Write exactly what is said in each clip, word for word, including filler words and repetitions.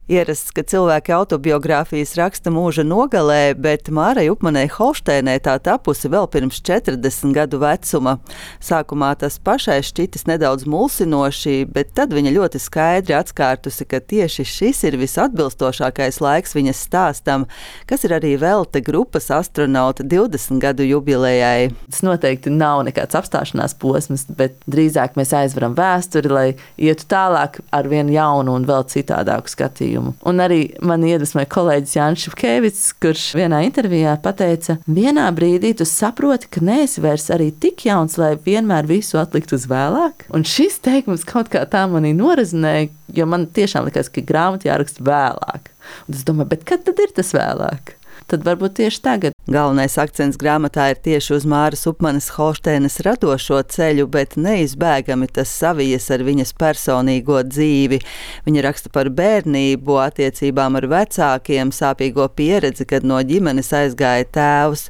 Ierasts, ka cilvēki autobiogrāfijas raksta mūža nogalē, bet Mārai Upmanei Holšteinai tā tapusi vēl pirms četrdesmit gadu vecuma. Sākumā tas pašai šķitis nedaudz mulsinoši, bet tad viņa ļoti skaidri atskārtusi, ka tieši šis ir visatbilstošākais laiks viņas stāstam, kas ir arī velta grupas astronauta divdesmit gadu jubilejai. Tas noteikti nav nekāds apstāšanās posms, bet drīzāk mēs aizveram vēsturi, lai ietu tālāk ar vienu jaunu un vēl citādāku skatījumu. Un arī man iedvesmoja kolēģis Jānis Šepkevics, kurš vienā intervijā pateica, vienā brīdī tu saproti, ka neesi vairs arī tik jauns, lai vienmēr visu atlikt uz vēlāk. Un šis teikums kaut kā tā manī norezinēja, jo man tiešām likās, ka grāmata jāraksta vēlāk. Un es domāju, bet kad tad ir tas vēlāk? Tad varbūt tieši tagad. Galvenais akcents grāmatā ir tieši uz Māras Upmanes Holšteinas radošo ceļu, bet neizbēgami tas savijas ar viņas personīgo dzīvi. Viņa raksta par bērnību, attiecībām ar vecākiem, sāpīgo pieredzi, kad no ģimenes aizgāja tēvs.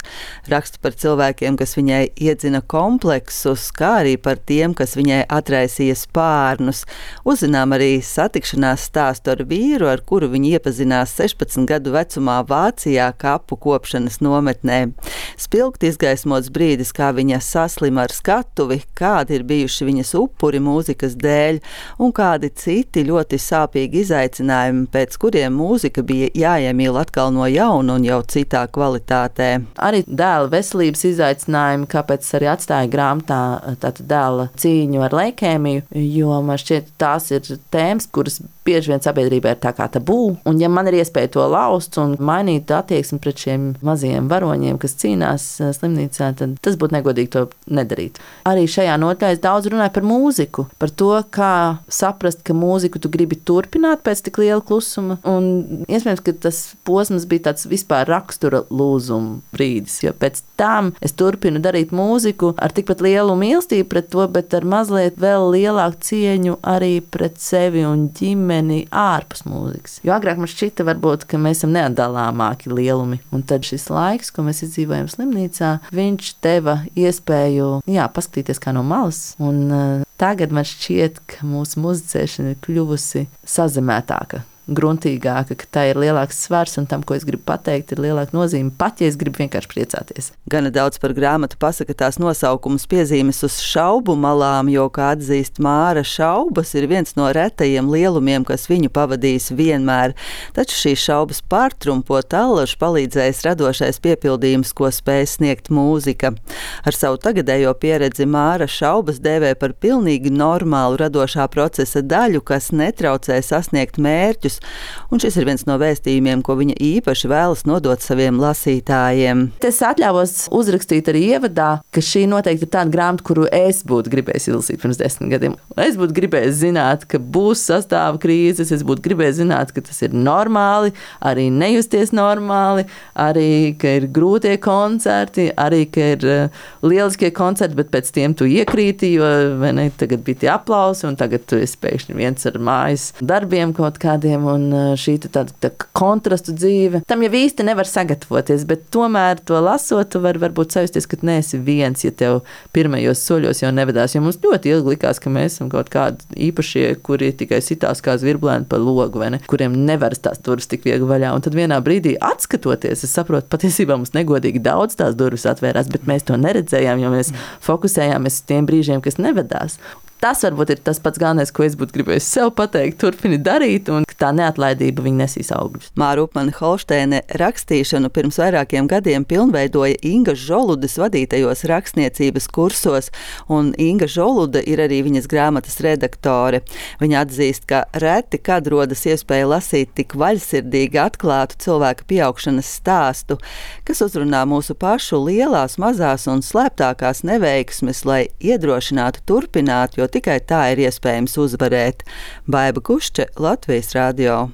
Raksta par cilvēkiem, kas viņai iedzina kompleksus, kā arī par tiem, kas viņai atraisīja spārnus. Uzzinām arī satikšanās stāstu ar vīru, ar kuru viņa iepazinās sešpadsmit gadu vecumā Vācijā, kapu kopšanas nometnē. Spilgt izgaismots brīdis, kā viņa saslima ar skatuvi, kādi ir bijuši viņas upuri mūzikas dēļ un kādi citi ļoti sāpīgi izaicinājumi, pēc kuriem mūzika bija jāiemīl atkal no jauna un jau citā kvalitātē. Arī dēla veselības izaicinājumi, kāpēc arī atstāja grāmatā tātad dēla cīņu ar leikēmiju, jo man šķiet tās ir tēmas, kuras bieži vien sabiedrībā ir tā kā tabū, un ja man ir iespēja to laust un mainīt attieksmi pret šiem mazajiem varoņiem, kas cīnās slimnīcā, tad tas būtu negodīgi to nedarīt. Arī šajā nodaļā es daudz runāju par mūziku, par to, kā saprast, ka mūziku tu gribi turpināt pēc tik liela klusuma, un iespējams, ka tas posms bija tāds vispār rakstura lūzuma brīdis, jo pēc tam es turpinu darīt mūziku ar tikpat lielu mīlestību pret to, bet ar mazliet vēl lielāku cieņu arī pret sevi un ģimeni ārpus mūzikas. Jo agrāk man šķita varbūt, ka mēs esam neatdalāmāki lielumi. Un tad šis laiks, ko mēs izdzīvojam slimnīcā, viņš deva iespēju, jā, paskatīties kā no malas. Un uh, tagad man šķiet, ka mūsu muzicēšana ir kļuvusi sazemētāka, gruntīgāka, ka tā ir lielāks svars un tam, ko es gribu pateikt, ir lielāka nozīme, pat ja es gribu vienkārši priecāties. Gana daudz par grāmatu pasaka tās nosaukums piezīmes uz šaubu malām, jo, kā atzīst Māra, šaubas ir viens no retajiem lielumiem, kas viņu pavadījis vienmēr. Taču šīs šaubas pārtrumpo allaž palīdzējis radošais piepildījums, ko spēj sniegt mūzika. Ar savu tagadējo pieredzi Māra šaubas dēvē par pilnīgi normālu radošā procesa daļu, kas netraucē sasniegt mērķus, un šis ir viens no vēstījumiem, ko viņa īpaši vēlas nodot saviem lasītājiem. Es atļāvos uzrakstīt arī ievadā, ka šī noteikti ir tāda grāmata, kuru es būtu gribējis izlasīt pirms desmit gadiem. Es būtu gribējis zināt, ka būs sastāva krīzes, es būtu gribējis zināt, ka tas ir normāli, arī nejusties normāli, arī, ka ir grūtie koncerti, arī, ka ir uh, lieliskie koncerti, bet pēc tiem tu iekrīti, jo vai ne, tagad bija tie aplausi, un tagad tu esi pēkšņi viens ar mājas darbiem kaut kādiem, un šī tāda tā kontrastu dzīve. Tam jau īsti nevar sagatavoties, bet tomēr to lasot, tu var varbūt sajusties, ka neesi viens, ja tev pirmajos soļos jau nevedās. Jo mums ļoti ilgi likās, ka mēs esam kaut kādi īpašie, kuri tikai sitās kā zvirblēni pa logu, vai ne, kuriem nevar tās durvis tik viegli vaļā. Un tad vienā brīdī atskatoties, es saprotu, patiesībā mums negodīgi daudz tās durvis atvērās, bet mēs to neredzējām, jo mēs fokusējāmies uz tiem brīžiem, kas nevedās. Tas varbūt ir tas pats galvenais, ko es būtu gribējis sev pateikt, turpini darīt, un tā neatlaidība viņa nesīs augļus. Māra Upmane Holšteine rakstīšanu pirms vairākiem gadiem pilnveidoja Inga Žoludes vadītajos rakstniecības kursos, un Inga Žolude ir arī viņas grāmatas redaktore. Viņa atzīst, ka reti kad rodas iespēja lasīt tik vaļsirdīgi atklātu cilvēka pieaugšanas stāstu, kas uzrunā mūsu pašu lielās, mazās un slēptākās neveiksmes, lai iedrošinātu turpināt, jo tikai tā ir iespējams uzvarēt. Baiba Kušče, Latvijas radio.